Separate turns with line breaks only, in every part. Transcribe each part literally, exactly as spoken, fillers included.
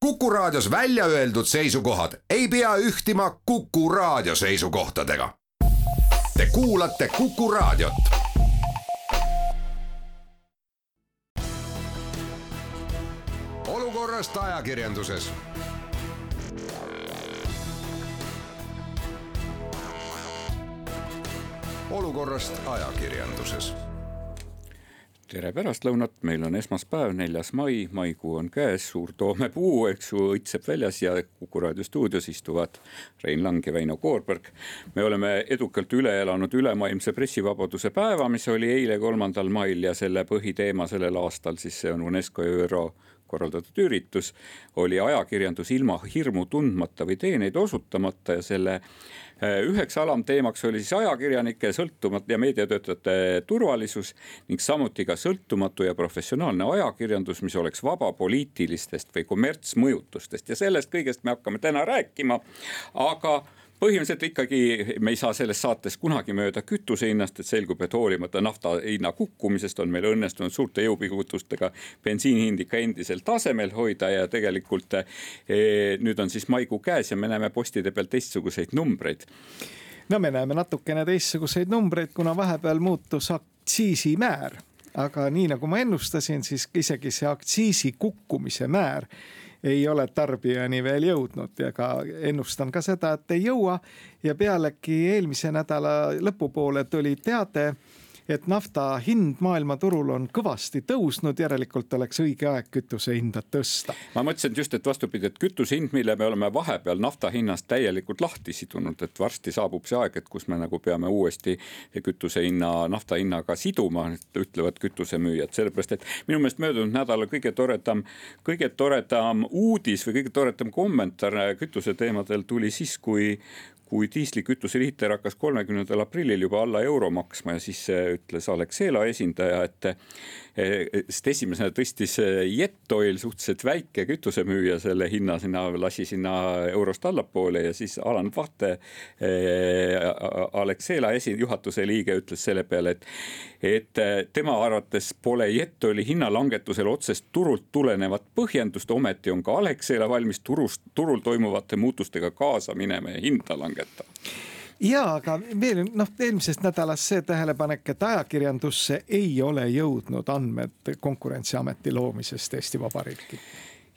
Kuku Raadios välja öeldud seisukohad ei pea ühtima Kuku Raadio seisukohtadega. Te kuulate Kuku Raadiot. Olukorrast ajakirjanduses. Olukorrast ajakirjanduses.
Tere pärastlõunat, meil on esmaspäev, neljas mai, maikuu on käes, suur toomepuu, eks ju, õitseb väljas ja Kuku Raadio stuudios istuvad Rein Lang ja Väino Koorberg. Me oleme edukalt üle elanud ülemaailmse pressivabaduse päeva, mis oli eile kolmandal mail ja selle põhiteema sellel aastal, siis see on UNESCO ja ÜRO korraldatud üritus, oli ajakirjandus ilma hirmu tundmata või teeneid osutamata ja selle üheks alamteemaks oli siis ajakirjanike sõltumatu ja meediatöötajate turvalisus ning samuti ka sõltumatu ja professionaalne ajakirjandus, mis oleks vaba poliitilistest või kommertsmõjutustest ja sellest kõigest me hakkame täna rääkima, aga põhimõtteliselt ikkagi me ei saa selles saates kunagi mööda kütuse hinnast, et selgub, et hoolimata nafta hinna kukkumisest on meil õnnestunud suurte jõupingutustega bensiinihind ikka endiselt tasemel hoida ja tegelikult eh, nüüd on siis maikuu käes ja me näeme postide peal teistsuguseid numbreid.
No me näeme natukene teistsuguseid numbreid, kuna vahepeal muutus aktsiisimäär, aga nii nagu ma ennustasin, siis isegi see aktsiisi kukkumise määr ei ole tarbijani veel jõudnud ja ka ennustan ka seda, et ei jõua ja pealegi eelmise nädala lõpupoole tuli teade, et nafta hind maailmaturul on kõvasti tõusnud, järelikult oleks õige aeg kütuse hinda tõsta.
Ma mõtlesin just, et vastupidi, et kütuse hind, mille me oleme vahepeal nafta hinnast täielikult lahti sidunud, et varsti saabub see aeg, et kus me nagu peame uuesti kütuse hinna, nafta hinnaga siduma, ütlevad kütusemüüjad, sellepärast, et minu meelest möödunud nädala kõige toredam, kõige toredam uudis või kõige toredam kommentaar kütuse teemadel tuli siis, kui kui diislikütuse liiter hakkas kolmekümnendal aprillil juba alla euro maksma ja siis ütles Alexela esindaja, et sest esimesena tõstis Jetoil suhteliselt väike kütusemüüja selle hinna sinna, lasi sinna eurost allapoole ja siis Alan Vahte Alexela esi, juhatuse liige ütles selle peale, et, et tema arvates pole Jetoili hinnalangetusel otsest turult tulenevat põhjendust, ometi on ka Alexela valmis turust, turul toimuvate muutustega kaasa minema ja hinda langetama.
Ja, aga veel noh, eelmisest nädalast see tähelepanek, et ajakirjandusse ei ole jõudnud andmed Konkurentsiameti loomisest Eesti Vabariiki.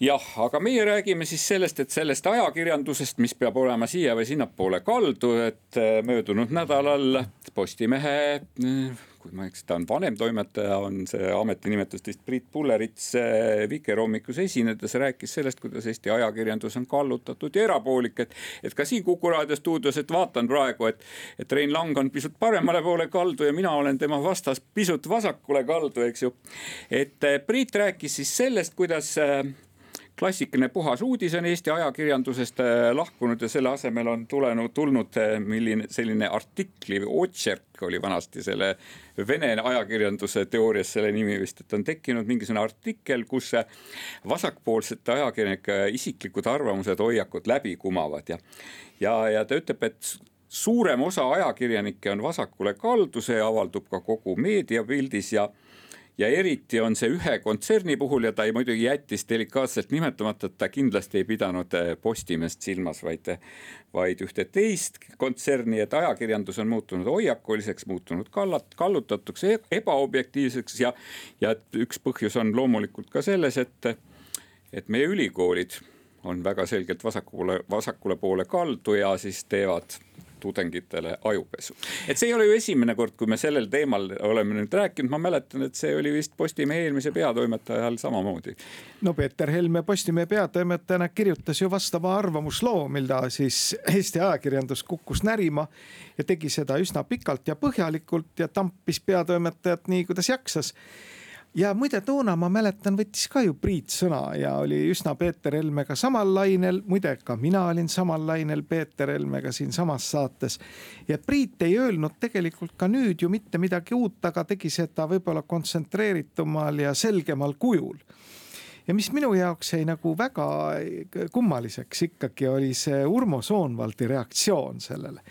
Jah, aga meie räägime siis sellest, et sellest ajakirjandusest, mis peab olema siia või sinnapoole kaldu, et möödunud nädalal Postimehe, kui ma eks, ta on vanem toimetaja, on see ametinimetus teist Priit Pullerits Vikerhommikus esinedes rääkis sellest, kuidas Eesti ajakirjandus on kallutatud ja erapoolik, et, et ka siin Kuku Raadio stuudios, et vaatan praegu, et, et Rein Lang on pisut paremale poole kaldu ja mina olen tema vastas pisut vasakule kaldu, eks ju. Et Priit rääkis siis sellest, kuidas klassikaline puhas uudis on Eesti ajakirjandusest lahkunud ja selle asemel on tulenud, tulnud milline selline artikli või otšerk oli vanasti selle Vene ajakirjanduse teoorias selle nimi vist, et on tekkinud mingisugune artikkel, kus vasakpoolsete ajakirjanike isiklikud arvamused, hoiakud läbi kumavad ja, ja, ja ta ütleb, et suurem osa ajakirjanikke on vasakule kaldu, see avaldub ka kogu meediapildis ja Ja eriti on see ühe kontserni puhul ja ta ei muidugi jättis delikaatselt nimetamata, et ta kindlasti ei pidanud Postimest silmas, vaid, vaid ühte teist kontserni, et ajakirjandus on muutunud hoiakuliseks, muutunud kallat, kallutatuks, ebaobjektiivseks ja, ja üks põhjus on loomulikult ka selles, et, et meie ülikoolid on väga selgelt vasakule, vasakule poole kaldu ja siis teevad tudengitele ajupesu. Et see ei ole ju esimene kord, kui me sellel teemal oleme nüüd rääkinud. Ma mäletan, et see oli vist Postimehe eelmise peatoimetajal samamoodi.
No Peeter Helme Postimehe peatoimetajana kirjutas ju vastava arvamusloo, milda siis Eesti ajakirjandus kukkus närima ja tegi seda üsna pikalt ja põhjalikult ja tampis peatoimetajat nii, kuidas jaksas. Ja muide toona ma mäletan, võttis ka ju Priit sõna ja oli üsna Peeter Helmega samal lainel, muide ka mina olin samal lainel Peeter Helmega siin samas saates ja Priit ei öelnud tegelikult ka nüüd ju mitte midagi uut, aga tegi seda võib-olla kontsentreeritumal ja selgemal kujul. Ja mis minu jaoks jäi nagu väga kummaliseks ikkagi oli see Urmo Soonvaldi reaktsioon sellele.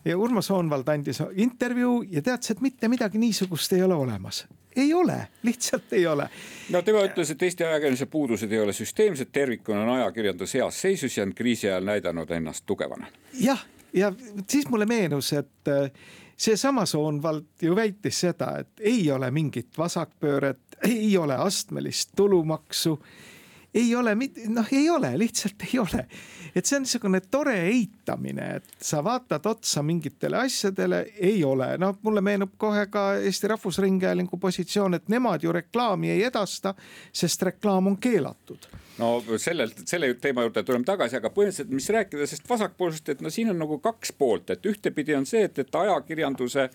ja Urmo Soonvald andis intervjuu ja teadis, et mitte midagi niisugust ei ole olemas. Ei ole, lihtsalt ei ole.
No tema ütles, et Eesti ajakirjanduse puudused ei ole süsteemsed, tervikuna on ajakirjandus heas seisus ja on kriisi ajal näidanud ennast tugevana.
Jah, ja siis mulle meenus, et see sama Soonvald ju väitis seda, et ei ole mingit vasakpööret, ei ole astmelist tulumaksu, ei ole, noh ei ole, lihtsalt ei ole. Et see on niisugune tore eitamine, et sa vaatad otsa mingitele asjadele, ei ole. No mulle meenub kohe ka Eesti Rahvusringhäälingu positsioon, et nemad ju reklaami ei edasta, sest reklaam on keelatud.
No sellelt, selle teema juurde tuleme tagasi, aga põhimõtteliselt, mis rääkida sest vasakpoolsest, et no siin on nagu kaks poolt, et ühtepidi on see, et, et ajakirjanduse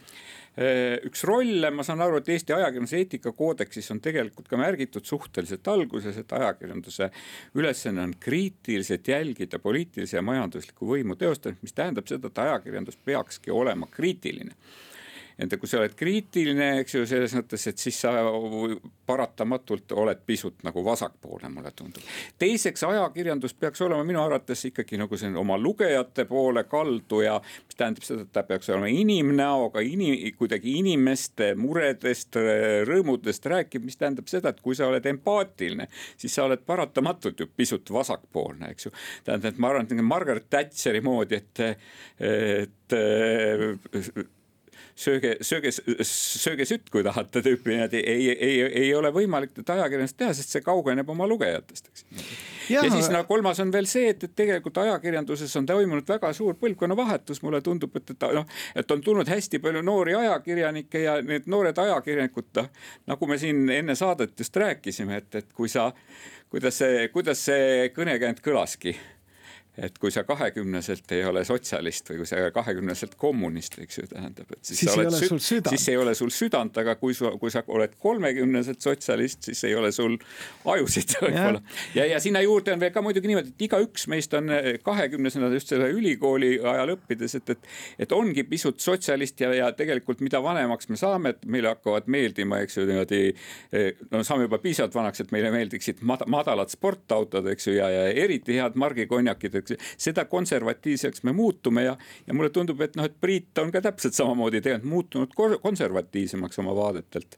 üks rolle, ma saan aru, et Eesti ajakirjanduse eetikakoodeksis on tegelikult ka märgitud suhteliselt alguses, et ajakirjanduse ülesanne on kriitiliselt jälgida poliitilise ja majandusliku võimu teostamist, mis tähendab seda, et ajakirjandus peakski olema kriitiline. Et kui sa oled kriitiline, eks ju, selles mõttes, et siis sa paratamatult oled pisut nagu vasakpoolne, mulle tundub. Teiseks, ajakirjandus peaks olema minu arvates ikkagi nagu see oma lugejate poole kaldu ja mis tähendab seda, et ta peaks olema inimnäoga, inim, kuidagi inimeste muredest, rõõmudest rääkib, mis tähendab seda, et kui sa oled empaatiline, siis sa oled paratamatult ju pisut vasakpoolne, eks ju. Tähendab, et ma arvan, et Margaret Thatcheri moodi, et, et sööge, sööge, sööge sütt, kui tahate tüüpi, ei, ei, ei ole võimalik ajakirjandust teha, sest see kaugeneb oma lugejatest. Ja, ja siis no, kolmas on veel see, et, et tegelikult ajakirjanduses on toimunud väga suur põlvkonna vahetus, mulle tundub, et, et, no, et on tulnud hästi palju noori ajakirjanikke ja need noored ajakirjanikud, nagu me siin enne saadet just rääkisime, et, et kui sa, kuidas see, kuidas see kõnekänd kõlaski, et kui sa kahekümneselt ei ole sotsialist või kui sa kahekümneselt kommunist, eks ju, tähendab, et siis,
siis, ei ole, sul südant.
siis ei ole sul südant, aga kui, su, kui sa oled kolmekümneselt sotsialist, siis ei ole sul ajusid. Ja. Ja, ja sinna juurde on veel ka muidugi niimoodi, et iga üks meist on kahekümnesena just selle ülikooli ajal õppides, et, et, et ongi pisut sotsialist ja, ja tegelikult mida vanemaks me saame, et meile hakkavad meeldima, eks ju, niimoodi, no saame juba piisavalt vanaks, et meile meeldiksid madalad sportautod, eks ju, ja, ja eriti head margikonjakid, seda konservatiivseks me muutume ja, ja mulle tundub, et, no, et Priit on ka täpselt samamoodi tegelikult muutunud konservatiivsemaks oma vaadetelt.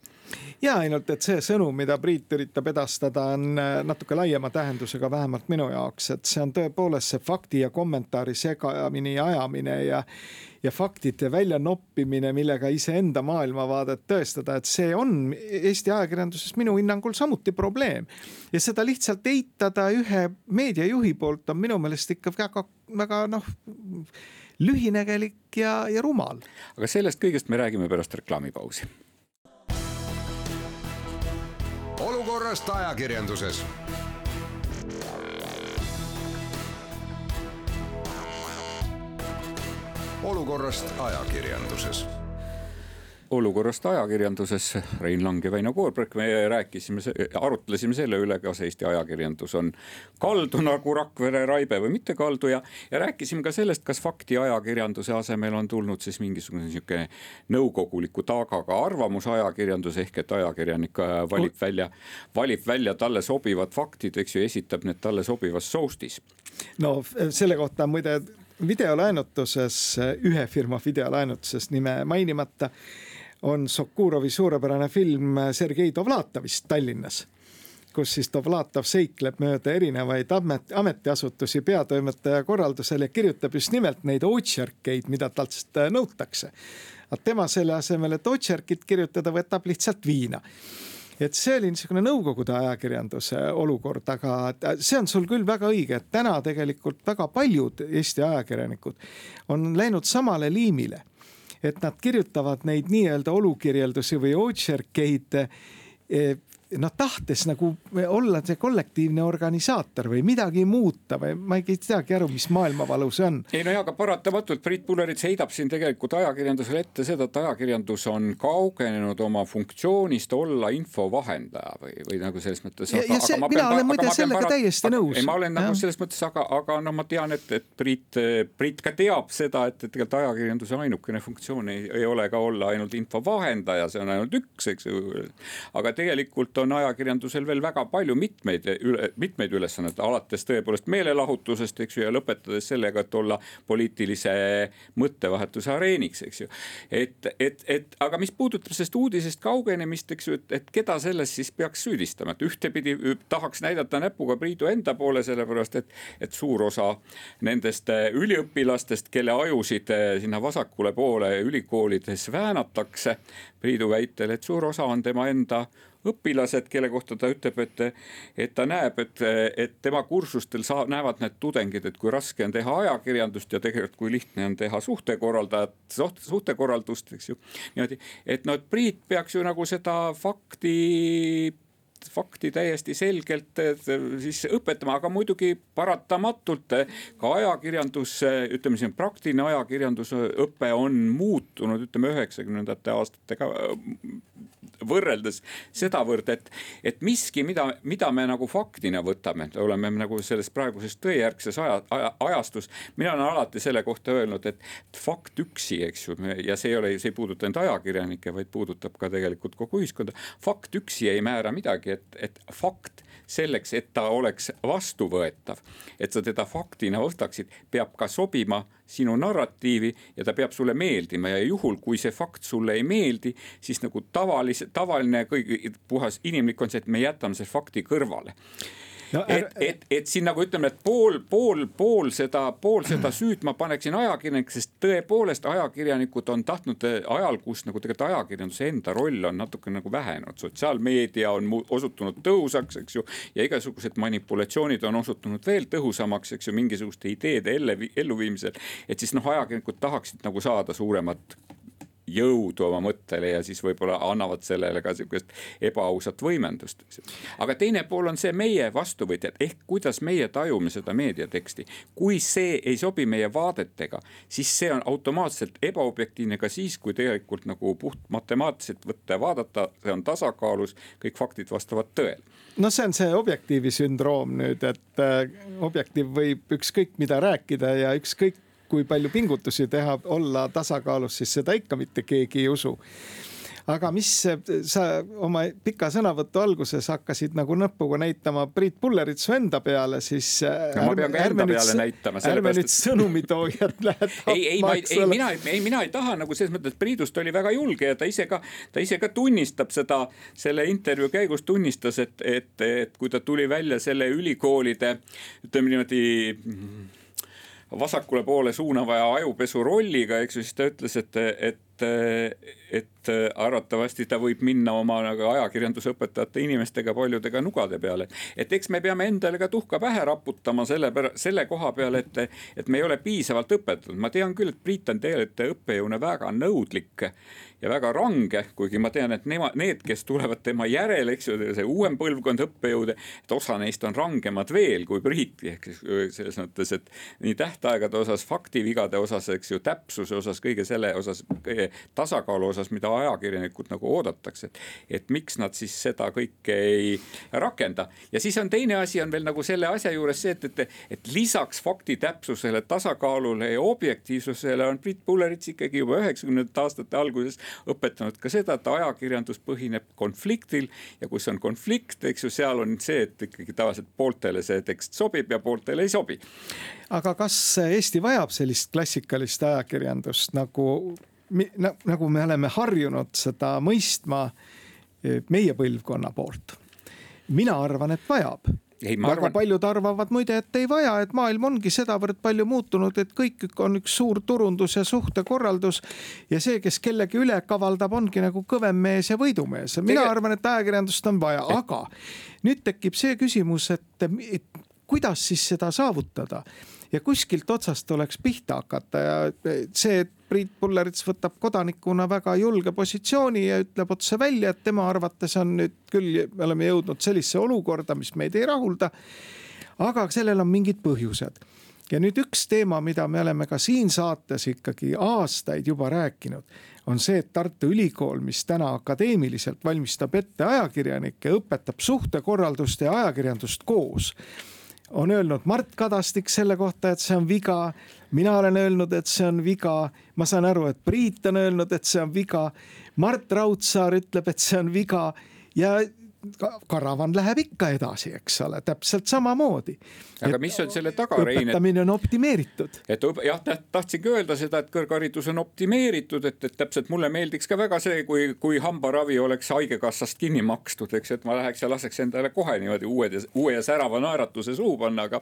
Ja ainult, et see sõnum, mida Priit üritab edastada, on natuke laiema tähendusega vähemalt minu jaoks, et see on tõepoolest see fakti ja kommentaari segamine ja ajamine ja ja faktide välja noppimine, millega iseenda maailmavaadet tõestada, et see on Eesti ajakirjanduses minu hinnangul samuti probleem. Ja seda lihtsalt eitada ühe meediajuhi poolt on minu meelest ikka väga, väga noh, lühinägelik ja, ja rumal.
Aga sellest kõigest me räägime pärast reklaamipausi.
Olukorrast ajakirjanduses. Olukorrast ajakirjanduses.
Olukorrast ajakirjanduses Rein Lang ja Väino Koorberg, me rääkisime, arutlesime selle üle, kas Eesti ajakirjandus on kaldu nagu Rakvere Raibe või mitte kaldu ja, ja rääkisime ka sellest, kas fakti ajakirjanduse asemel on tulnud siis mingisugune niisugune nõukoguliku taagaga arvamusajakirjandus ehk et ajakirjanik valib välja, valib välja talle sobivad faktid, eks ju, esitab need talle sobivas soustis.
No selle kohta muide videolaenutuses, ühe firma videolaenutuses nime mainimata, on Sokurovi suurepärane film Sergei Dovlatovist Tallinnas, kus siis Dovlatov seikleb mööda erinevaid amet, ametiasutusi peatoimetaja korraldusel ja kirjutab just nimelt neid otsjarkeid, mida talt nõutakse. Aga tema selle asemel, et otsjarkid kirjutada, võtab lihtsalt viina. Et see oli niisugune nõukogude ajakirjanduse olukord, aga see on sul küll väga õige, et täna tegelikult väga paljud Eesti ajakirjanikud on läinud samale liimile, et nad kirjutavad neid nii-öelda olukirjeldusi või otsjarkeid noh, tahtes nagu olla see kollektiivne organisaator või midagi muuta või ma ei teagi aru, mis maailmavalu see on.
Ei no ja, aga paratamatult Priit Pullerits heidab siin tegelikult ajakirjandusele ette seda, et ajakirjandus on kaugenenud oma funktsioonist olla infovahendaja või, või nagu selles mõttes.
Ja, ja see, mina pean, olen muide sellega parat... täiesti nõus.
Ei, ma olen nagu selles mõttes, aga, aga no ma tean, et, et Priit, Priit ka teab seda, et, et tegelikult ajakirjanduse ainukene funktsioon ei, ei ole ka olla ainult infovahendaja, see on ainult üks, eks ju. Aga tegelikult on ajakirjandusel veel väga palju mitmeid, mitmeid ülesannet, alates tõepoolest meelelahutusest, eks ju, ja lõpetades sellega, et olla poliitilise mõttevahetuse areeniks, eks ju. Et, et, et, aga mis puudutab sellest uudisest kaugenemist, eks ju, et, et keda selles siis peaks süüdistama, et ühtepidi tahaks näidata näpuga Priidu enda poole, sellepärast, et, et suur osa nendest üliõpilastest, kelle ajusid sinna vasakule poole ülikoolides väänatakse, Priidu väitel, et suur osa on tema enda õpilased, kelle kohta ta ütleb, et, et ta näeb, et, et tema kursustel saa, näevad need tudengid, et kui raske on teha ajakirjandust ja tegelikult kui lihtne on teha suhtekorraldajat, suhtekorraldust, eks ju. Niimoodi, et no, et Priit peaks ju nagu seda fakti fakti täiesti selgelt siis õpetama, aga muidugi paratamatult ka ajakirjandus, ütleme siin praktiline ajakirjandusõpe on muutunud, ütleme üheksakümnendate aastatega võrreldes sedavõrd, et, et miski, mida, mida me nagu faktina võtame, oleme nagu selles praeguses tõejärgses aja, aja, ajastus, mina olen alati selle kohta öelnud, et fakt üksi, eks ju, ja see ei ole, see ei puuduta ainult ajakirjanikke, vaid puudutab ka tegelikult kogu ühiskonda. Fakt üksi ei määra midagi, et, et fakt selleks, et ta oleks vastuvõetav, et sa teda faktina võtaksid, peab ka sobima sinu narratiivi ja ta peab sulle meeldima ja juhul, kui see fakt sulle ei meeldi, siis nagu tavalise, tavaline kõigi puhas inimlik on see, et me jätame see fakti kõrvale. No, et, et, et siin nagu ütleme, et pool, pool, pool seda, pool seda süüd ma paneksin ajakirjanik, sest tõepoolest ajakirjanikud on tahtnud ajal, kus nagu tegelikult ajakirjanduse enda roll on natuke nagu vähenud. Sotsiaalmeedia on osutunud tõhusaks, eks ju, ja igasugused manipulatsioonid on osutunud veel tõhusamaks, eks ju, mingisuguste ideede elluviimisel, et siis noh, ajakirjanikud tahaksid nagu saada suuremat jõudu oma mõttele ja siis võib-olla annavad sellele ka sellist ebaausat võimendust. Aga teine pool on see meie vastuvõtjad, ehk kuidas meie tajume seda meediateksti. Kui see ei sobi meie vaadetega, siis see on automaatselt ebaobjektiivne ka siis, kui tegelikult nagu puht matemaatiliselt võtta ja vaadata, see on tasakaalus, kõik faktid vastavad tõele.
No see on see objektiivi sündroom nüüd, et objektiiv võib ükskõik mida rääkida ja ükskõik kui palju pingutusi teha, olla tasakaalus, siis seda ikka mitte keegi ei usu. Aga mis sa oma pika sõnavõttu alguses hakkasid nagu nõpuga näitama Priit Pulleritsu enda peale, siis
no, ma pean ka enda peale näitama.
Ärme nüüd sõnumitoojad lähed
ei, ei, ma, ei, mina, ei, mina ei taha nagu selles mõttes, et Priidust oli väga julge ja ta ise ka, ta ise ka tunnistab seda, selle intervjuu käigus tunnistas, et, et, et kui ta tuli välja selle ülikoolide, ütleme niimoodi vasakule poole suunava ja ajupesu rolliga, eks ju, siis ta ütles, et, et, et arvatavasti ta võib minna oma ajakirjandusõpetajate inimestega paljudega nugade peale. Et eks me peame endale ka tuhka pähe raputama selle, selle koha peale, et, et me ei ole piisavalt õpetatud. Ma tean küll, et Priit on tegelikult õppejõuna väga nõudlik ja väga range, kuigi ma tean, et nema, need, kes tulevad tema järele, eks ju, see uuem põlvkond õppejõude, et osa neist on rangemad veel kui Priit, selles mõttes, et nii tähtaegade osas, faktivigade osas, eks ju, täpsuse osas, kõige selle osas, kõige tasakaalu osas, mida ajakirjanikud nagu oodatakse, et, et miks nad siis seda kõike ei rakenda. Ja siis on teine asi, on veel nagu selle asja juures see, et, et, et lisaks fakti täpsusele, tasakaalule ja objektiivsusele on Priit Pullerits ikkagi juba üheksakümnendate aastate alguses õpetanud ka seda, et ajakirjandus põhineb konfliktil ja kus on konflikt, eks ju, seal on see, et ikkagi tavaliselt pooltele see tekst sobib ja pooltele ei sobi.
Aga kas Eesti vajab sellist klassikalist ajakirjandust, nagu, nagu me oleme harjunud seda mõistma meie põlvkonna poolt? Mina arvan, et vajab. Ei, väga arvan... paljud arvavad muide, et ei vaja, et maailm ongi sedavõrd palju muutunud, et kõik on üks suur turundus ja suhtekorraldus ja see, kes kellegi üle kavaldab, ongi nagu kõvem mees ja võidumees. Mina Tege... arvan, et ajakirjandust on vaja, aga nüüd tekib see küsimus, et, et kuidas siis seda saavutada ja kuskilt otsast tuleks pihta hakata ja see, et Priit Pullerits võtab kodanikuna väga julge positsiooni ja ütleb otse välja, et tema arvates on nüüd küll, me oleme jõudnud sellisse olukorda, mis meid ei rahulda, aga sellel on mingid põhjused. Ja nüüd üks teema, mida me oleme ka siin saates ikkagi aastaid juba rääkinud, on see, et Tartu Ülikool, mis täna akadeemiliselt valmistab ette ajakirjanikke, õpetab suhtekorraldust ja ajakirjandust koos, on öelnud Mart Kadastik selle kohta, et see on viga. Mina olen öelnud, et see on viga. Ma saan aru, et Priit on öelnud, et see on viga. Mart Raudsaar ütleb, et see on viga. Ja karavan läheb ikka edasi, eks ole, täpselt samamoodi.
Aga et mis on selle taga, Rein?
Õpetamine on optimeeritud.
Et jah, tahtsingi öelda seda, et kõrgharidus on optimeeritud, et, et täpselt mulle meeldiks ka väga see, kui, kui hambaravi oleks haigekassast kinni makstud, eks, et ma läheks ja laseks endale kohe niimoodi uue, uue ja särava naeratuse suu panna, aga,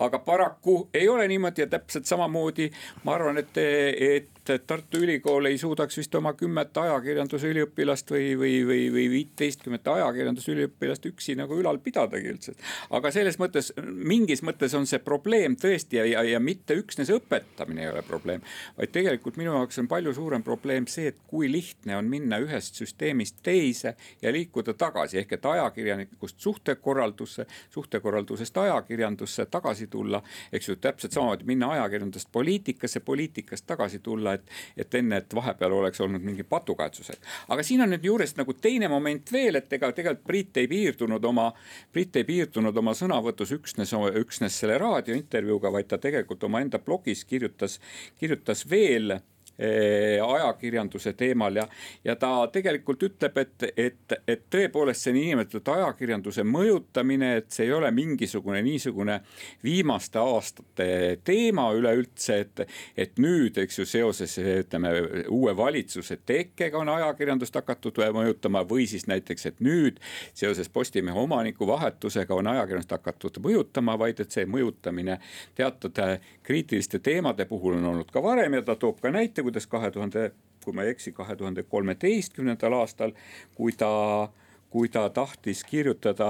aga paraku ei ole niimoodi ja täpselt samamoodi ma arvan, et, et Tartu Ülikool ei suudaks vist oma kümmet ajakirjanduse üliõpilast või, või, või, või viiteistkümmet ajakirjanduse üliõpilast üksi nagu ülal pidadagi üldse. Aga selles mõttes, mingis mõttes on see probleem tõesti ja, ja, ja mitte üksnes õpetamine ei ole probleem, vaid tegelikult minu jaoks on palju suurem probleem see, et kui lihtne on minna ühest süsteemist teise ja liikuda tagasi, ehk et ajakirjanikust suhtekorraldusse, suhtekorraldusest ajakirjandusse tagasi tulla, eks ju, täpselt samamoodi minna ajakirjandusest poliitikasse, poliitikast tagasi tulla, et, et enne, et vahepeal oleks olnud mingi patukaetsused. Aga siin on nüüd juures nagu teine moment veel, et ega tegelikult Priit ei piirdunud oma, Priit ei piirdunud oma sõnavõtus üksnes, üksnes selle raadiointervjuuga, vaid ta tegelikult oma enda blogis kirjutas, kirjutas veel ajakirjanduse teemal ja, ja ta tegelikult ütleb, et, et, et tõepoolest see niinimetatud ajakirjanduse mõjutamine, et see ei ole mingisugune niisugune viimaste aastate teema üleüldse, et, et nüüd, eks ju, seoses ütleme, uue valitsuse tekkega on ajakirjandust hakatud mõjutama või siis näiteks, et nüüd seoses Postimehe omaniku vahetusega on ajakirjandust hakatud mõjutama, vaid et see mõjutamine teatud kriitiliste teemade puhul on olnud ka varem ja ta toob ka näite, kuidas kahe tuhande, kui ma ei eksi, kahe tuhande kolmeteistkümnendal aastal, kui ta, kui ta tahtis kirjutada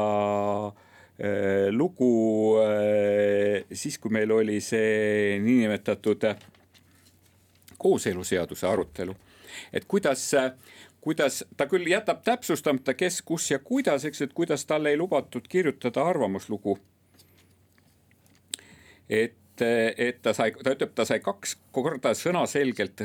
äh, lugu äh, siis, kui meil oli see niinimetatud kooseluseaduse arutelu, et kuidas, kuidas ta küll jätab täpsustamata, kes, kus ja kuidas, eks, et kuidas talle ei lubatud kirjutada arvamuslugu, et et ta sai, ta ütleb, ta sai kaks korda sõnaselgelt,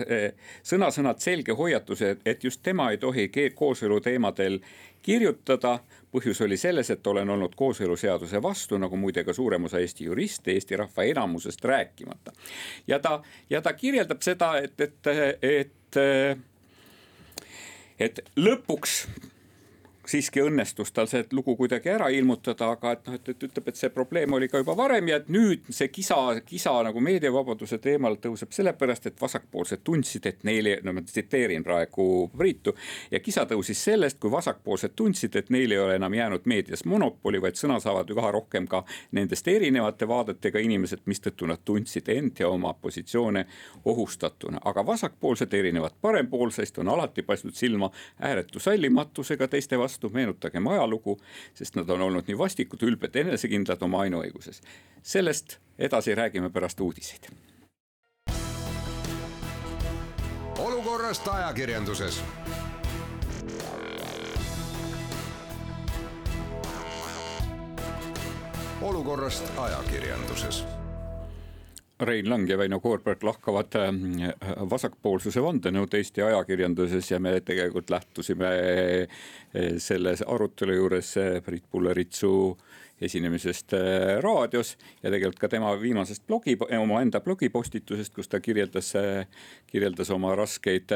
sõna-sõnad selge hoiatuse, et just tema ei tohi kooselu teemadel kirjutada. Põhjus oli selles, et olen olnud kooseluseaduse vastu, nagu muide ka suurem osa Eesti juriste, Eesti rahva enamusest rääkimata. Ja ta, ja ta kirjeldab seda, et, et, et, et lõpuks siiski õnnestus tal see lugu kuidagi ära ilmutada, aga et, noh, et, et ütleb, et see probleem oli ka juba varem ja et nüüd see kisa, kisa nagu meediavabaduse teemal tõuseb sellepärast, et vasakpoolsed tundsid, et neile, no ma tsiteerin praegu Priitu, ja kisa tõusis sellest, kui vasakpoolsed tundsid, et neil ei ole enam jäänud meedias monopoli, vaid sõna saavad üha rohkem ka nendest erinevate vaadetega inimesed, mistõttu nad tundsid end ja oma positsioone ohustatuna. Aga vasakpoolsed erinevad parempoolsest on alati paistnud silma ääretu sallimatusega teiste vastu, meenutagem ajalugu, sest nad on olnud nii vastikud, ülbed, enesekindlad oma ainuõiguses. Sellest edasi räägime pärast uudiseid.
Olukorrast ajakirjanduses. Olukorrast ajakirjanduses.
Rein Lang ja Väino Koorberg lahkavad vasakpoolsuse vandenõud Eesti ajakirjanduses ja me tegelikult lähtusime selles arutelu juures Priit Pulleritsu esinemisest raadios ja tegelikult ka tema viimasest blogi, oma enda blogipostitusest, kus ta kirjeldas, kirjeldas oma raskeid,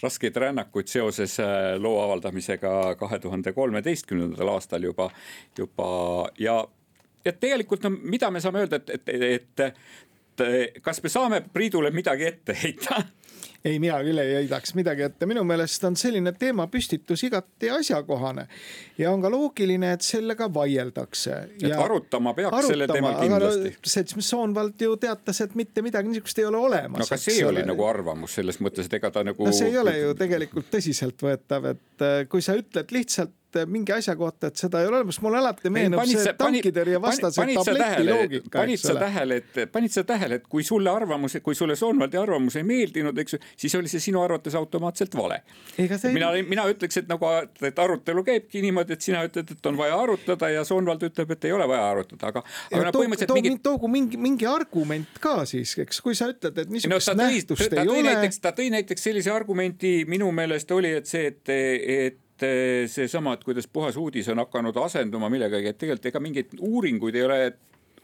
raskeid rännakuid seoses loo avaldamisega kahe tuhande kolmeteistkümnendal aastal juba, juba ja, ja tegelikult no, mida me saame öelda, et, et, et kas me saame Priidule midagi ette heita?
Ei, mina küll ei heidaks midagi ette. Minu meelest on selline teema püstitus igati asjakohane ja on ka loogiline, et sellega vaieldakse.
Et ja arutama peaks arutama, selle teemal kindlasti.
Seltsimees Soonvald ju teatas, et mitte midagi niisugust ei ole olemas.
No aga see oli nagu arvamus selles mõttes, et ega ta nagu...
No see ei ole ju tegelikult tõsiselt võetav, et kui sa ütled lihtsalt mingi asja kohta, et seda ei ole olemas, mul alati meenub ei, see tankitõrje vastase tableti loogika.
Panid sa tähele, et, panid sa tähele, et kui sulle arvamus, kui sulle Soonvaldi arvamus ei meeldinud, eks, siis oli see sinu arvates automaatselt vale. See... Mina, mina ütleks, et, nagu, et arutelu käibki niimoodi, et sina ütled, et on vaja arutada ja Soonvald ütleb, et ei ole vaja arutada. Aga, aga
ja toogu too, mingi... toogu mingi, mingi argument ka siis, eks, kui sa ütled, et niisugust no, nähtust tõi, ei ole.
Näiteks, ta tõi näiteks sellise argumenti, minu meelest oli, et see, et, et see sama, et kuidas puhas uudis on hakanud asenduma millegagi, et tegelikult ega mingeid uuringuid ei ole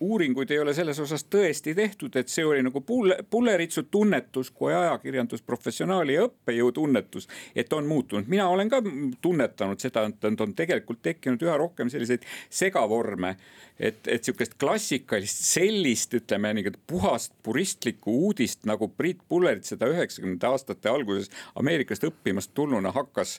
uuringuid ei ole selles osas tõesti tehtud, et see oli nagu Pulleritsu tunnetus kui ajakirjandusprofessionaali ja õppejõu tunnetus, et on muutunud. Mina olen ka tunnetanud seda, et on tegelikult tekkinud üha rohkem selliseid segavorme, et, et sihukest klassikalist sellist, ütleme, puhast puristlikku uudist, nagu Priit Pullerit seda üheksakümnendate aastate alguses Ameerikast õppimast tulnuna hakkas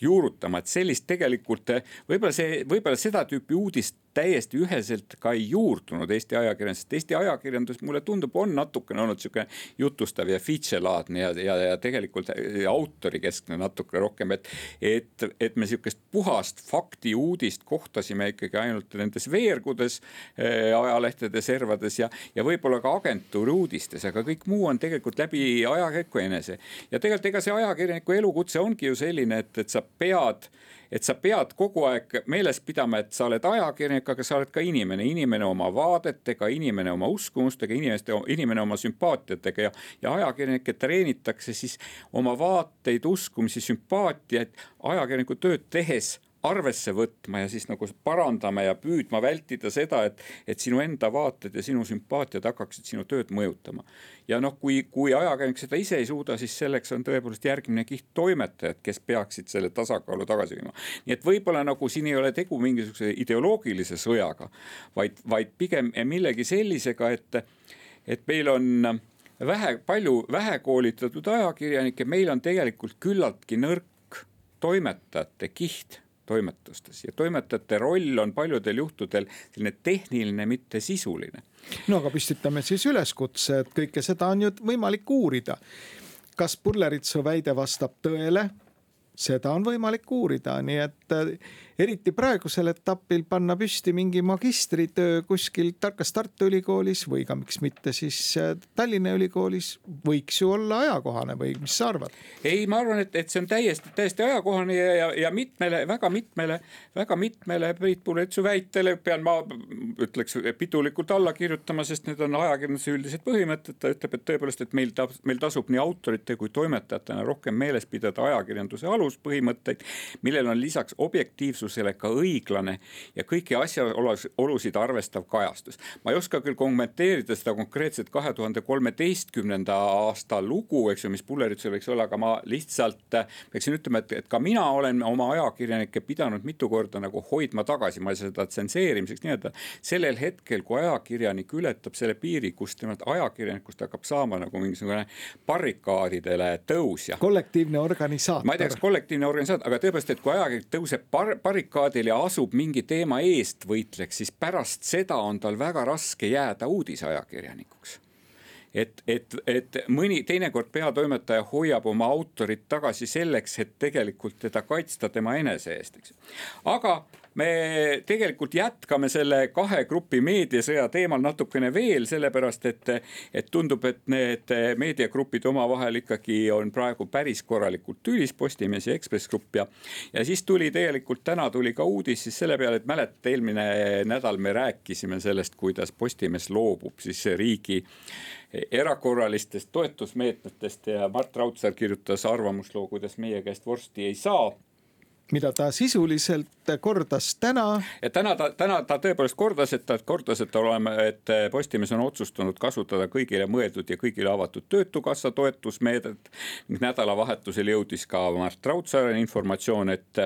juurutama, et sellist tegelikult võib-olla see, võib-olla seda tüüpi uudist täiesti üheselt ka ei juurdunud Eesti ajakirjandus, sest Eesti ajakirjandus mulle tundub on natukene olnud sihuke jutustav ja feature-laadne ja, ja, ja tegelikult autorikeskne natuke rohkem, et, et, et me sihukest puhast fakti uudist kohtasime ikkagi ainult nendes veergudes, ajalehtede servades ja, ja võib-olla ka agentuuri uudistes, aga kõik muu on tegelikult läbi ajakirjaniku enese. Ja tegelikult ega see ajakirjaniku elukutse ongi ju selline, et, et sa pead et sa pead kogu aeg meeles pidama, et sa oled ajakirjanik, aga sa oled ka inimene, inimene oma vaadetega, inimene oma uskumustega, inimeste, inimene oma sümpaatiatega ja, ja ajakirjanikke treenitakse siis oma vaateid, uskumisi, sümpaatiaid ajakirjaniku tööd tehes arvesse võtma ja siis nagu parandama ja püüdma vältida seda, et, et sinu enda vaated ja sinu sümpaatiad hakkaksid sinu tööd mõjutama. Ja noh, kui, kui ajakirjanik seda ise ei suuda, siis selleks on tõepoolest järgmine kiht toimetajad, kes peaksid selle tasakaalu tagasi viima. Nii et võib-olla nagu siin ei ole tegu mingisuguse ideoloogilise sõjaga, vaid, vaid pigem millegi sellisega, et, et meil on vähe, palju vähekoolitatud ajakirjanikke, meil on tegelikult küllaltki nõrk toimetajate kiht toimetustes ja toimetajate roll on paljudel juhtudel selline tehniline, mitte sisuline.
No aga püstitame siis üleskutse, et kõike seda on ju võimalik uurida. Kas Pulleritsu väide vastab tõele? Seda on võimalik uurida, nii et eriti praegusel etapil panna püsti mingi magistritöö kuskil kas Tartu Ülikoolis või ka miks mitte siis Tallinna Ülikoolis võiks ju olla ajakohane või mis sa arvad?
Ei, ma arvan, et, et see on täiesti, täiesti ajakohane ja, ja, ja mitmele, väga mitmele, väga mitmele Priit Pulleritsu väitele pean ma ütleks pidulikult alla kirjutama, sest need on ajakirjanduse üldised põhimõtted. Ta ütleb, et tõepoolest, et meil, ta, meil tasub nii autorite kui toimetajatena rohkem meeles pidada ajakirjanduse aluspõhimõtteid, millel on lisaks objektiivsusele ka õiglane ja kõiki asjaolusid arvestav kajastus. Ma ei oska küll kommenteerida seda konkreetset kahe tuhande kolmeteistkümnenda aasta lugu, eks ju, mis Pulleritsul võiks olla, aga ma lihtsalt peaksin ütlema, et, et ka mina olen oma ajakirjanikke pidanud mitu korda nagu hoidma tagasi, ma ei saa seda tsenseerimiseks nii-öelda. Sellel hetkel, kui ajakirjanik ületab selle piiri, kus temalt ajakirjanikust hakkab saama nagu mingisugune barrikaadidele tõusja.
Kollektiivne organisaator.
Ma ei teaks, kollektiivne organisaator, aga tõepoolest, et kui ajakirjanik tõuseb bar- barrikaadil ja asub mingi teema eest võitleks, siis pärast seda on tal väga raske jääda uudisajakirjanikuks. Et, et, et mõni teinekord peatoimetaja hoiab oma autorit tagasi selleks, et tegelikult teda kaitsta tema enese eest. Aga me tegelikult jätkame selle kahe grupi meediasõja teemal natukene veel, sellepärast et, et tundub, et need meediagrupid omavahel ikkagi on praegu päris korralikult tülis, Postimees ja Ekspress Grupp ja, ja siis tuli tegelikult täna tuli ka uudis siis selle peale, et mäletate, eelmine nädal me rääkisime sellest, kuidas Postimees loobub siis riigi erakorralistest toetusmeetmetest ja Mart Raudsaar kirjutas arvamusloo, kuidas meie käest vorsti ei saa.
Mida ta sisuliselt kordas täna.
Ja täna ta, täna ta tõepoolest kordas, et ta kordas, et, oleme, et Postimees on otsustanud kasutada kõigile mõeldud ja kõigile avatud töötukassa toetusmeedet. Nädalavahetusel jõudis ka Mart Raudsaaren informatsioon, et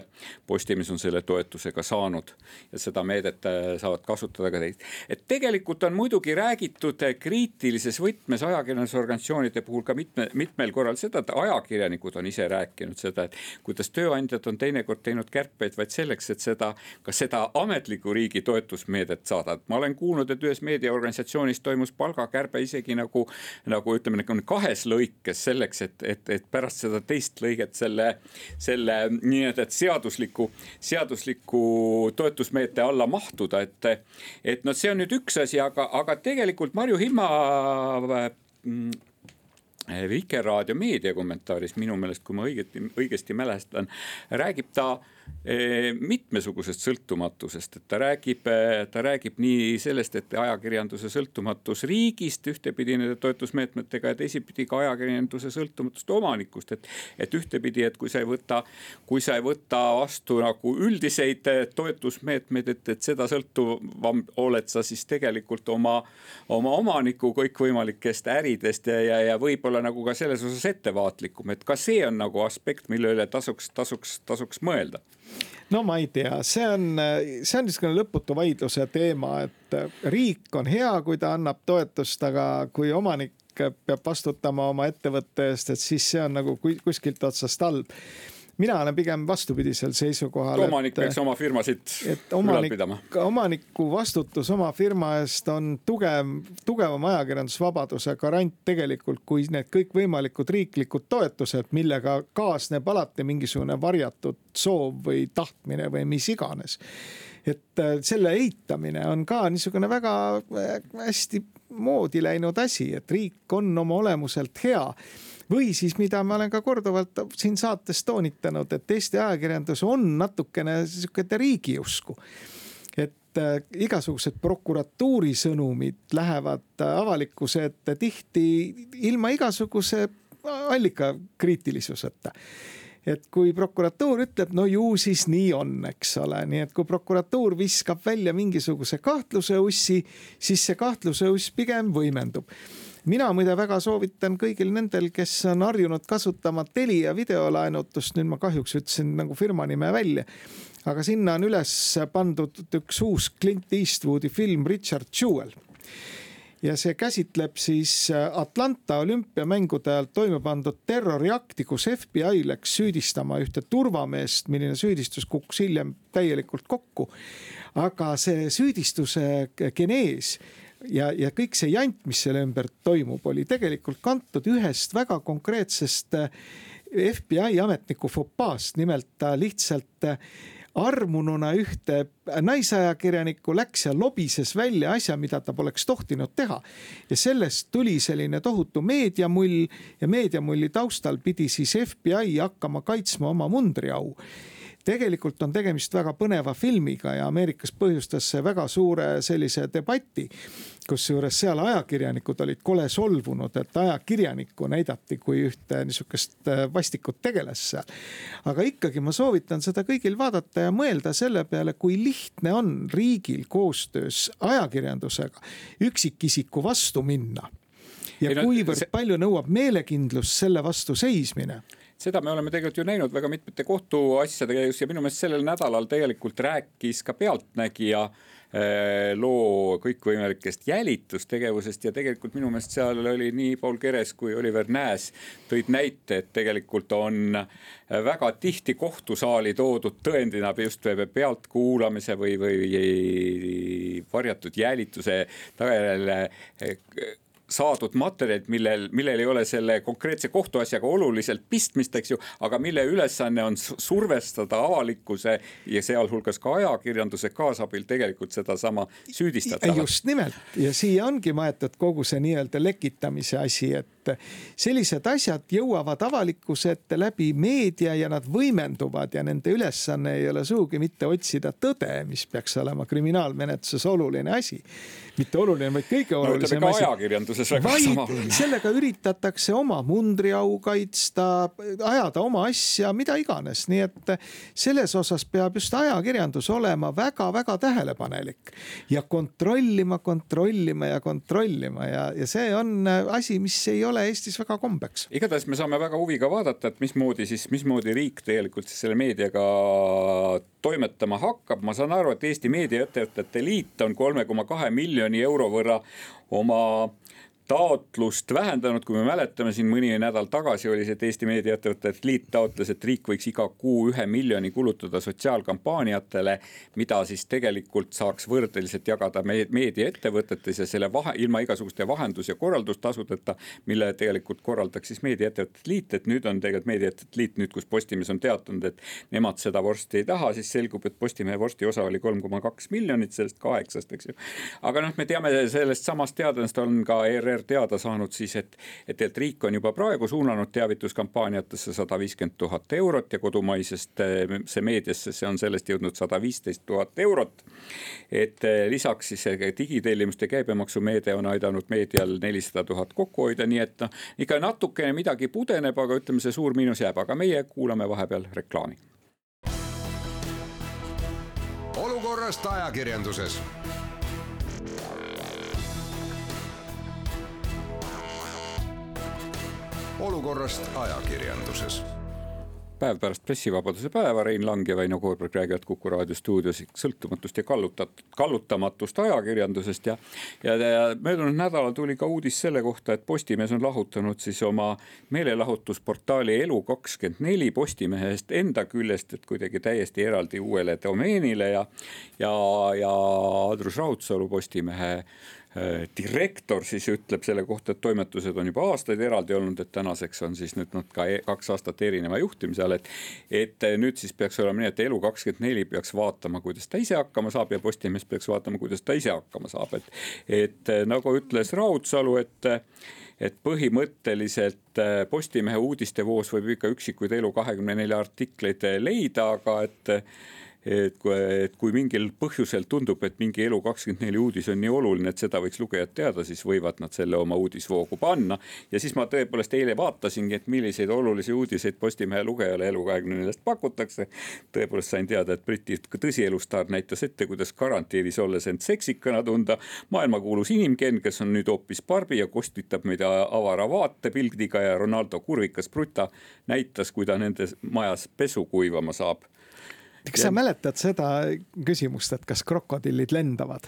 Postimees on selle toetusega saanud ja seda meedet saavad kasutada ka teist. Et tegelikult on muidugi räägitud kriitilises võtmes ajakirjandusorganisatsioonide puhul ka mitme, mitmel korral seda, et ajakirjanikud on ise rääkinud seda, et kuidas tööandjad on teine teinud kärpeid, vaid selleks, et seda, ka seda ametliku riigi toetusmeedet saada. Ma olen kuulnud, et ühes meediaorganisatsioonis toimus palgakärbe isegi nagu, nagu ütleme, kahes lõikes selleks, et, et, et pärast seda teist lõiget selle, selle nii, et seadusliku, seadusliku toetusmeete alla mahtuda. Et, et no see on nüüd üks asi, aga, aga tegelikult Marju Himma mm, Vikerraadio meediakommentaaris minu meelest, kui ma õigesti, õigesti mälestan, räägib ta mitmesugusest sõltumatusest, et ta räägib, ta räägib nii sellest, et ajakirjanduse sõltumatus riigist ühtepidi nende toetusmeetmetega ja teisipidi ka ajakirjanduse sõltumatust omanikust, et, et ühtepidi, et kui sa ei võta, kui sa ei võta vastu nagu üldiseid toetusmeetmeid, et, et seda sõltuvam oled sa siis tegelikult oma, oma omaniku kõikvõimalikest äridest ja, ja, ja võib-olla nagu ka selles osas ettevaatlikum, et ka see on nagu aspekt, mille üle tasuks, tasuks, tasuks mõelda.
No ma ei tea, see on, see on niisugune lõputu vaidluse teema, et riik on hea, kui ta annab toetust, aga kui omanik peab vastutama oma ettevõtte eest, et siis see on nagu kuskilt otsast halb. Mina olen pigem vastupidisel seisukohal.
Omanik peaks oma firmasid ülal pidama.
Omaniku vastutus oma firma eest on tugev, tugevam ajakirjandusvabaduse garant tegelikult kui need kõikvõimalikud riiklikud toetused, millega kaasneb alati mingisugune varjatud soov või tahtmine või mis iganes. Et selle eitamine on ka niisugune väga hästi moodi läinud asi, et riik on oma olemuselt hea. Või siis, mida ma olen ka korduvalt siin saates toonitanud, et Eesti ajakirjandus on natukene niisugune riigiusku. Et igasugused prokuratuuri sõnumid lähevad avalikkuse ette tihti ilma igasuguse allika kriitilisuseta. Et kui prokuratuur ütleb, no ju siis nii on, eks ole. Nii et kui prokuratuur viskab välja mingisuguse kahtluse ussi, siis see kahtluse uss pigem võimendub. Mina muide väga soovitan kõigil nendel, kes on harjunud kasutama teli- ja videolaenutust, nüüd ma kahjuks ütlesin nagu firma nime välja, aga sinna on üles pandud üks uus Clint Eastwoodi film Richard Jewell. Ja see käsitleb siis Atlanta olümpiamängude ajal toime pandud terroriakti, kus F B I läks süüdistama ühte turvameest, milline süüdistus kukkus hiljem täielikult kokku. Aga see süüdistuse genees ja, ja kõik see jant, mis selle ümber toimub, oli tegelikult kantud ühest väga konkreetsest F B I ametniku fopaast, nimelt ta lihtsalt armununa ühte naisajakirjanikku läks ja lobises välja asja, mida ta poleks tohtinud teha. Ja sellest tuli selline tohutu meediamull ja meediamulli taustal pidi siis F B I hakkama kaitsma oma mundriau. Tegelikult on tegemist väga põneva filmiga ja Ameerikas põhjustas see väga suure sellise debati, kus juures seal ajakirjanikud olid kole solvunud, et ajakirjanikku näidati kui ühte niisugust vastikut tegeles seal. Aga ikkagi ma soovitan seda kõigil vaadata ja mõelda selle peale, kui lihtne on riigil koostöös ajakirjandusega üksikisiku vastu minna. Ja kuivõrd palju nõuab meelekindlust selle vastu seismine.
Seda me oleme tegelikult ju näinud väga mitmete kohtuasjadega ja minu meelest sellel nädalal tegelikult rääkis ka Pealtnägija loo kõikvõimalikest jälitustegevusest ja tegelikult minu meelest seal oli nii Paul Keres kui Oliver Nääs tõid näite, et tegelikult on väga tihti kohtusaali toodud tõendina just pealtkuulamise või, või varjatud jälituse tagajärjel saadud materjalid, millel, millel ei ole selle konkreetse kohtuasjaga oluliselt pistmist, eks ju, aga mille ülesanne on survestada avalikkuse ja sealhulgas ka ajakirjanduse kaasabil tegelikult seda sama süüdistatavat.
Just nimelt. Ja siia ongi maetud kogu see nii-öelda lekitamise asi, et sellised asjad jõuavad avalikkuse ette läbi meedia ja nad võimenduvad ja nende ülesanne ei ole suugi mitte otsida tõde, mis peaks olema kriminaalmenetluses oluline asi. Mitte oluline, vaid kõige olulisem
no, asi.
Vaid sellega üritatakse oma mundriau kaitsta, ajada oma asja, mida iganes. Nii et selles osas peab just ajakirjandus olema väga-väga tähelepanelik ja kontrollima, kontrollima ja kontrollima ja, ja see on asi, mis ei ole Eestis väga kombeks.
Igatahes me saame väga huviga vaadata, et mismoodi, siis, mismoodi riik tegelikult siis selle meediaga toimetama hakkab. Ma saan aru, et Eesti meediaettevõtete liit on kolme koma kahe miljoni euro võrra oma taotlust vähendanud, kui me mäletame siin mõni nädal tagasi oli see, et Eesti meediaettevõtete liit taotles, et riik võiks iga kuu ühe miljoni kulutada sotsiaalkampaaniatele, mida siis tegelikult saaks võrdeliselt jagada meediaettevõtetes ja selle vahe, ilma igasuguste vahendus- ja korraldustasudeta, mille tegelikult korraldaks siis meediaettevõtete liit, et nüüd on tegelikult meediaettevõtete liit, nüüd kus Postimees on teatanud, et nemad seda vorsti ei taha, siis selgub, et Postimehe vorsti osa oli kolm koma kaks miljonit sellest kaheksast, eks ju. Aga noh, me teame sellest samast teadest on ka E R R R teada saanud siis, et, et, et riik on juba praegu suunanud teavituskampaaniatesse sada viiskümmend tuhat eurot ja kodumaisest see meediasse, see on sellest jõudnud sada viisteist tuhat eurot. Et lisaks siis digitellimuste käibemaksumeede on aidanud meedial nelisada tuhat kokku hoida, nii et no, ikka natukene midagi pudeneb, aga ütleme, see suur miinus jääb, aga meie kuulame vahepeal reklaami.
Olukorrast ajakirjanduses. Olukorrast ajakirjanduses.
Päev pärast pressivabaduse päeva Rein Lang ja Väino Koorberg räägivad Kuku raadio stuudios sõltumatust ja kallutamatust ajakirjandusest ja, ja, ja möödunud nädalal tuli ka uudis selle kohta, et Postimees on lahutanud siis oma meelelahutusportaali Elu kakskümmend neli Postimehest enda küljest, et kuidagi täiesti eraldi uuele domeenile ja, ja, ja Andrus Raudsalu Postimehe direktor siis ütleb selle kohta, et toimetused on juba aastaid eraldi olnud, et tänaseks on siis nüüd ka kaks aastat erineva juhtimise all, et, et nüüd siis peaks olema nii, et Elu kakskümmend neli peaks vaatama, kuidas ta ise hakkama saab ja Postimees peaks vaatama, kuidas ta ise hakkama saab. Et, et nagu ütles Raudsalu, et, et põhimõtteliselt Postimehe uudistevoos võib ikka üksikuid Elu kahekümne nelja artikleid leida, aga et Et kui, et kui mingil põhjusel tundub, et mingi Elu kakskümmend neli uudis on nii oluline, et seda võiks lugejad teada, siis võivad nad selle oma uudisvoogu panna. Ja siis ma tõepoolest eile vaatasingi, et milliseid olulisi uudiseid Postimehe lugejale Elu kahekümne neljast pakutakse. Tõepoolest sain teada, et Briti tõsielustaar näitas ette, kuidas karantiinis olles end seksikana tunda. Maailmakuulus inimken, kes on nüüd hoopis Barbi ja kostitab meid avara vaate pildiga ja Ronaldo kurvikas Bruta näitas, kui ta nende majas pesu kuivama saab.
Kas sa mäletad seda küsimust, et kas krokodillid lendavad?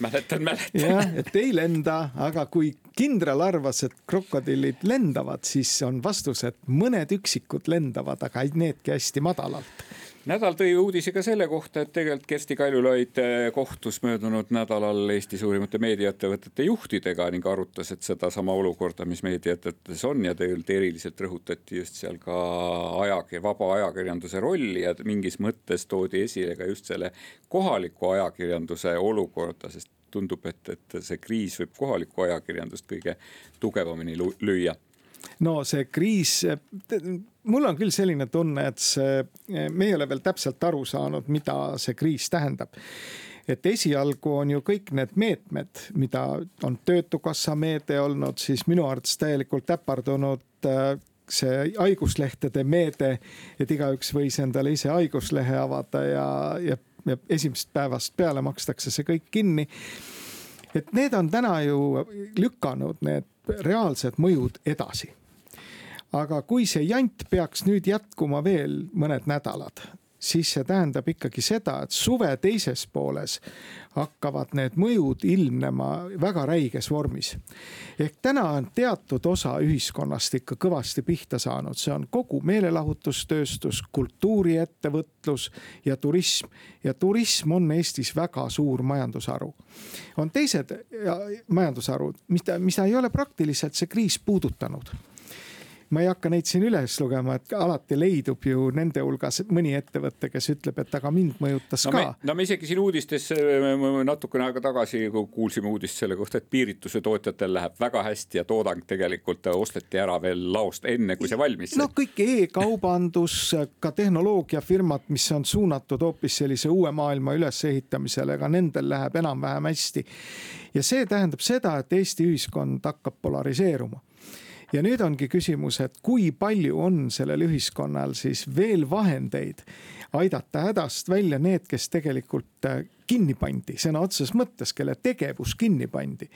Mäletan, mäletan.
Ja, et ei lenda, aga kui kindral arvas, et krokodillid lendavad, siis on vastus, et mõned üksikud lendavad, aga needki hästi madalalt.
Nädal tõi uudise ka selle kohta, et tegelikult Kersti Kaljulaid kohtus möödunud nädalal Eesti suurimate meediaettevõtete juhtidega ning arutas, et seda sama olukorda, mis meediaettevõtetes on ja tegelikult eriliselt rõhutati just seal ka ajag- vaba ajakirjanduse rolli ja mingis mõttes toodi esile ka just selle kohaliku ajakirjanduse olukorda, sest tundub, et, et see kriis võib kohaliku ajakirjandust kõige tugevamini lüüa.
No see kriis, mul on küll selline tunne, et see, me ei ole veel täpselt aru saanud, mida see kriis tähendab. Et esialgu on ju kõik need meetmed, mida on töötukassa meede olnud, siis minu arvates täielikult äpardunud see haiguslehtede meede, et igaüks võis endale ise haiguslehe avada ja, ja, ja esimesest päevast peale makstakse see kõik kinni. Et need on täna ju lükanud need reaalsed mõjud edasi. Aga kui see jant peaks nüüd jätkuma veel mõned nädalad, siis see tähendab ikkagi seda, et suve teises pooles hakkavad need mõjud ilmnema väga räiges vormis. Ehk täna on teatud osa ühiskonnast ikka kõvasti pihta saanud. See on kogu meelelahutustööstus, kultuuriettevõtlus ja turism. Ja turism on Eestis väga suur majandusharu. On teised majandusharud, mida, mida ei ole praktiliselt see kriis puudutanud. Ma ei hakka neid siin üles lugema, et alati leidub ju nende hulgas mõni ettevõtte, kes ütleb, et aga mind mõjutas
no
ka.
Me, no me isegi siin uudistes natukene aega tagasi kuulsime uudist selle kohta, et piirituse tootjatel läheb väga hästi ja toodang tegelikult osteti ära veel laost enne, kui see valmis.
No kõik e-kaubandus, ka tehnoloogiafirmad, mis on suunatud hoopis sellise uue maailma ülesehitamisele, aga nendel läheb enam-vähem hästi. Ja see tähendab seda, et Eesti ühiskond hakkab polariseeruma. Ja nüüd ongi küsimus, et kui palju on sellel ühiskonnal siis veel vahendeid aidata hädast välja need, kes tegelikult kinni pandi, sõna otseses mõttes, kelle tegevus kinni pandi.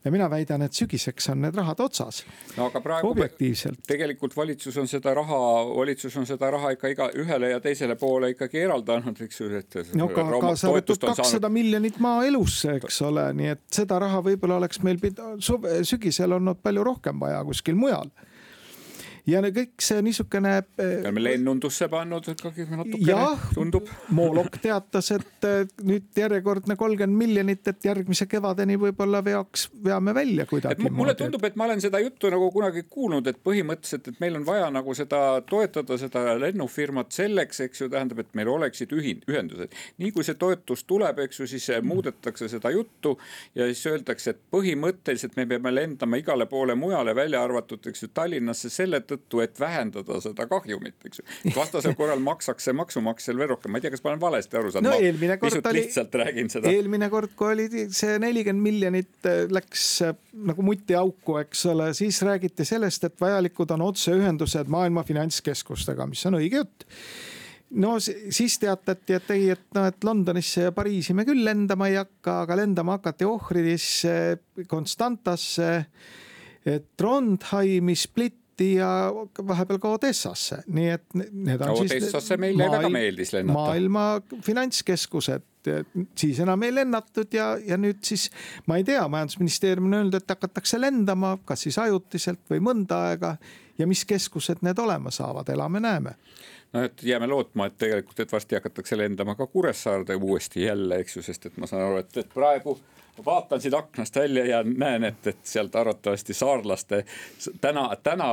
Ja mina väidan, et sügiseks on need rahad otsas.
No aga praegu
objektiivselt.
Tegelikult valitsus on seda raha, valitsus on seda raha ikka iga ühele ja teisele poole ikkagi eraldanud, eks ju, et
no ka, ka sa võtud kakssada saanud... miljonit maa elusse, eks ole, nii et seda raha võib-olla oleks meil pida... sügisel olnud palju rohkem vaja kuskil mujal. ja kõik see niisugune
oleme lennundusse pannud natukene,
jah,
tundub.
Moolok teatas, et nüüd järjekordne kolmkümmend miljonit, et järgmise kevadeni võib-olla veaks, veame välja kuidagi.
Mulle tundub, et ma olen seda juttu nagu kunagi kuulnud, et põhimõtteliselt, et meil on vaja nagu seda toetada, seda lennufirmat selleks, eks ju, tähendab, et meil oleksid ühendused. Nii kui see toetus tuleb, eks ju, siis muudetakse seda juttu ja siis öeldakse, et põhimõtteliselt me peame lendama igale poole mujale välja arvatud, eks ju, Tallinnasse selle tõttu, et vähendada seda kahjumit, eks ju. Vastasel korral maksaks see maksumaksjal veel rohkem. Ma ei tea, kas ma olen valesti aru saanud.
No, eelmine kord oli,
lihtsalt räägin seda.
Eelmine kord, kui oli see nelikümmend miljonit läks nagu mutti auku, eks ole, siis räägiti sellest, et vajalikud on otseühendused maailma finantskeskustega, mis on õige jutt. No siis teatati, et ei, et, no, et Londonisse ja Pariisi me küll lendama ei hakka, aga lendama hakati Ohridisse, Konstantasse, Trondheimi, Splitti ja vahepeal ka Odessasse. Nii et need on
Odessasse
siis
meile maailma, väga meeldis lennata.
Maailma finantskeskused, siis enam ei lennatud ja, ja nüüd siis, ma ei tea, majandusministeerium on öelnud, et hakatakse lendama, kas siis ajutiselt või mõnda aega ja mis keskused need olema saavad, elame näeme.
No, et jääme lootma, et tegelikult, et varsti hakatakse lendama ka Kuressaarde uuesti jälle, eks ju, sest et ma saan aru, et, et praegu vaatan siit aknast välja ja näen, et, et sealt arvatavasti saarlaste, täna, täna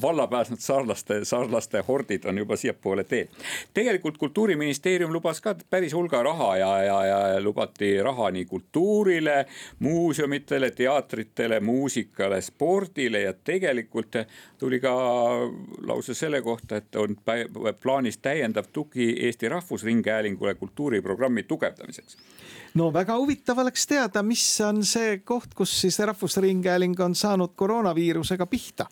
valla pääsnud saarlaste, saarlaste hordid on juba siiapoole teel. Tegelikult Kultuuriministeerium lubas ka päris hulga raha ja, ja, ja lubati raha nii kultuurile, muuseumitele, teatritele, muusikale, spordile ja tegelikult tuli ka lause selle kohta, et on plaanis täiendav tugi Eesti Rahvusringhäälingule kultuuriprogrammi tugevdamiseks.
No väga huvitav oleks teada, mis on see koht, kus siis Rahvusringhääling on saanud koroonaviirusega pihta.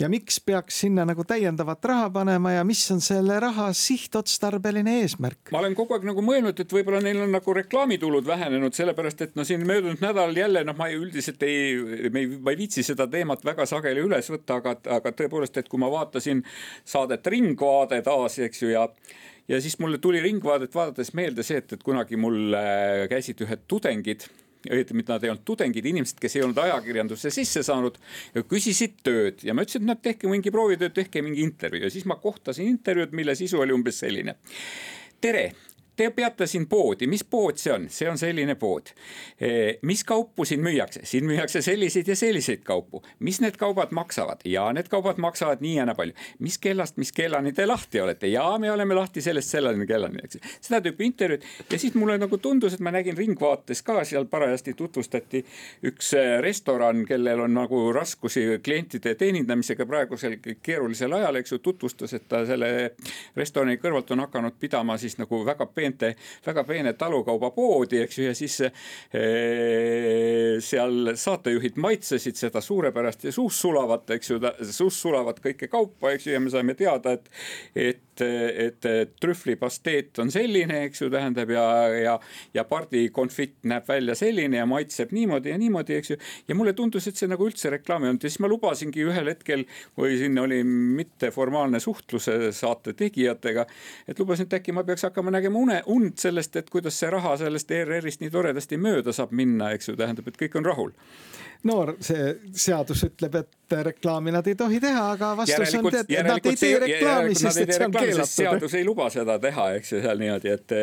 Ja miks peaks sinna nagu täiendavat raha panema ja mis on selle raha sihtotstarbeline eesmärk?
Ma olen kogu aeg nagu mõelnud, et võib-olla neil on nagu reklaamitulud vähenenud, sellepärast, et no siin möödunud nädalal jälle, noh ma ei, üldiselt ei, ma ei, ma ei viitsi seda teemat väga sageli üles võtta, aga, aga tõepoolest, et kui ma vaatasin saadet Ringvaade taas, eks ju, ja Ja siis mulle tuli Ringvaadet vaadates meelde see, et, et kunagi mul käisid ühed tudengid, mida nad ei olnud tudengid, inimesed, kes ei olnud ajakirjandusse sisse saanud ja küsisid tööd. Ja ma ütlesin, et nad tehke mingi proovitööd, tehke mingi intervjuu. Ja siis ma kohtasin intervjuud, mille sisu oli umbes selline. Tere! Te peate siin poodi, mis pood see on? See on selline pood. Mis kaupu siin müüakse? Siin müüakse selliseid ja selliseid kaupu. Mis need kaubad maksavad? Ja need kaubad maksavad nii ja nii palju. Mis kellast, mis kellani te lahti olete? Ja me oleme lahti sellest sellani kellani. Seda tüüpi intervjuud. Ja siis mulle nagu tundus, et ma nägin Ringvaates ka, seal parajasti tutvustati üks restoran, kellel on nagu raskusi klientide teenindamisega praegusel keerulisel ajal, eks ju, tutvustas, et ta selle restorani kõrvalt on hakanud pidama siis nagu väga peent väga peene talukauba poodi, eks ju, ja siis e, seal saatejuhid maitsesid seda suurepärast ja suus sulavat, eks ju, suus sulavat kõike kaupa, eks ju, ja me saime teada, et, et et trühvlipasteet on selline, eks ju, tähendab, ja, ja, ja pardikonfitt näeb välja selline ja maitseb niimoodi ja niimoodi, eks ju, ja mulle tundus, et see nagu üldse reklaami on, ja siis ma lubasingi ühel hetkel, kui siin oli mitteformaalne suhtluse saate tegijatega, et lubasin, et äkki ma peaks hakkama nägema une, und sellest, et kuidas see raha sellest E R R-ist nii toredasti mööda saab minna, eks ju, tähendab, et kõik on rahul. No
see seadus ütleb, et reklaami nad ei tohi teha, aga vastus on, et nad ei tee reklaami, sest et see on keelatud.
Seadus ei luba seda teha, eks ju, seal niimoodi, et,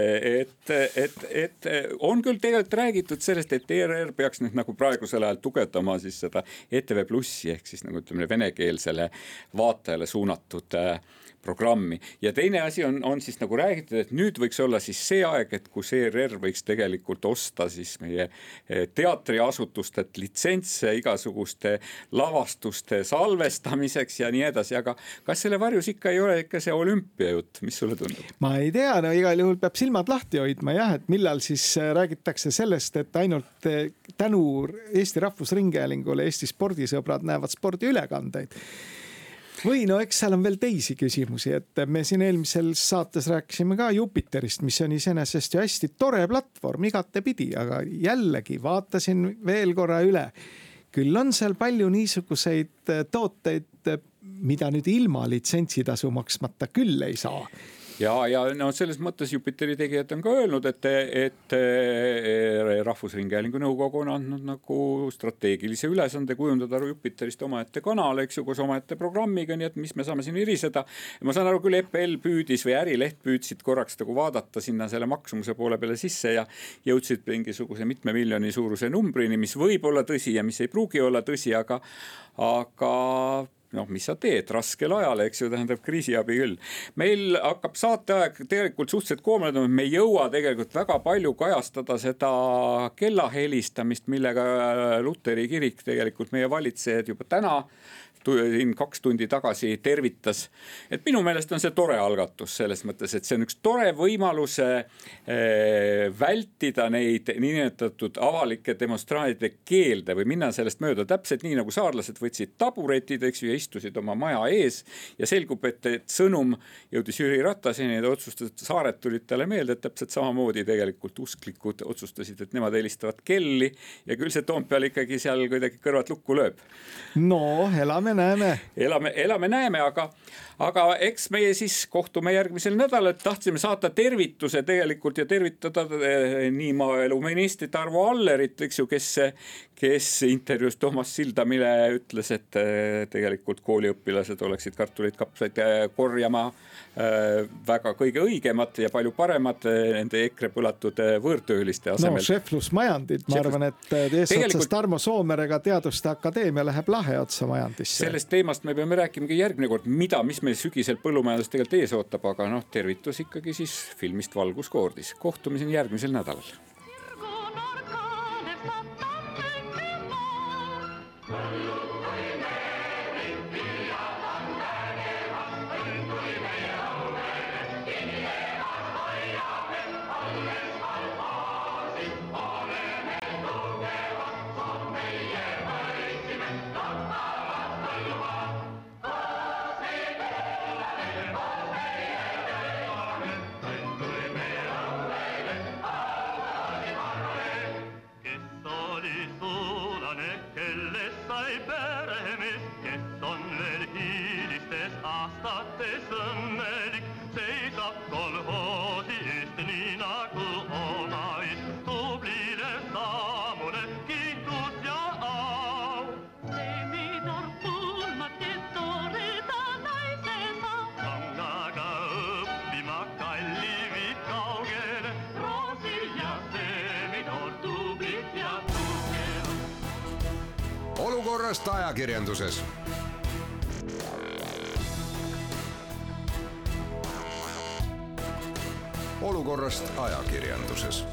et, et, et on küll tegelikult räägitud sellest, et E R R peaks nüüd nagu praegusel ajal tugevdama siis seda E T V Plussi ehk siis nagu ütleme venekeelsele vaatajale suunatud programmi. Ja teine asi on, on siis nagu räägitud, et nüüd võiks olla siis see aeg, et kus E R R võiks tegelikult osta siis meie teatriasutustelt litsentse igasuguste lavastuste salvestamiseks ja nii edasi, aga kas selle varjus ikka ei ole ikka see olümpia jutt, mis sulle tundub?
Ma ei tea, no igal juhul peab silmad lahti hoidma jah, et millal siis räägitakse sellest, et ainult tänu Eesti Rahvusringhäälingule Eesti spordisõbrad näevad spordiülekandeid. Või no eks seal on veel teisi küsimusi, et me siin eelmisel saates rääkisime ka Jupiterist, mis on iseenesest ju hästi tore platvorm igatepidi, aga jällegi vaatasin veel korra üle. Küll on seal palju niisuguseid tooteid, mida nüüd ilma litsentsitasu maksmata küll ei saa.
ja, ja no selles mõttes Jupiteri tegijad on ka öelnud, et, et Rahvusringhäälingu nõukogu on andnud nagu strateegilise ülesande kujundada Jupiterist omaette kanal, eks ju, koos omaette programmiga, nii et mis me saame siin iriseda. Ja ma saan aru küll, E P L püüdis või Ärileht püüdsid korraks nagu vaadata sinna selle maksumuse poole peale sisse ja jõudsid mingisuguse mitme miljoni suuruse numbrini, mis võib olla tõsi ja mis ei pruugi olla tõsi, aga, aga noh, mis sa teed raskel ajal, eks ju, tähendab kriisiabi küll. Meil hakkab saateaeg tegelikult suhteliselt koomale, me ei jõua tegelikult väga palju kajastada seda kellahelistamist, millega Luteri kirik tegelikult meie valitsejad juba täna siin kaks tundi tagasi tervitas. Et minu meelest on see tore algatus selles mõttes, et see on üks tore võimalus vältida neid niinimetatud avalike demonstraatide keelde või minna sellest mööda täpselt nii, nagu saarlased võtsid taburetid, eks ju, ja istusid oma maja ees ja selgub, et, et sõnum jõudis Jüri Rataseni ja otsustasid, saared tulid talle meelde, et täpselt samamoodi tegelikult usklikud otsustasid, et nemad helistavad kelli ja küll see Toompeal ikkagi seal kuidagi kõrvad lukku lööb.
No, elame näeme.
Elame, elame näeme, aga, aga eks meie siis kohtume järgmisel nädalal, et tahtsime saata tervituse tegelikult ja tervitada nii maaeluministrit Arvo Allerit, eks ju, kes, kes intervjuus Toomas Sildamile ütles, et tegelikult kooliõpilased oleksid kartuleid kapsaid korjama väga kõige õigemat ja palju paremat nende EKRE põlatud võõrtööliste asemel.
No, šeflusmajandid, ma arvan, et eesotsas Tarmo Soomerega Teaduste Akadeemia läheb lahe otsa majandisse.
Sellest teemast me peame rääkima järgmine kord, mida, mis meil sügisel põllumajandus tegelikult ees ootab, aga noh, tervitus ikkagi siis filmist Valguskoordis. Kohtumiseni järgmisel nädalal.
Olukorrast ajakirjanduses. Olukorrast ajakirjanduses.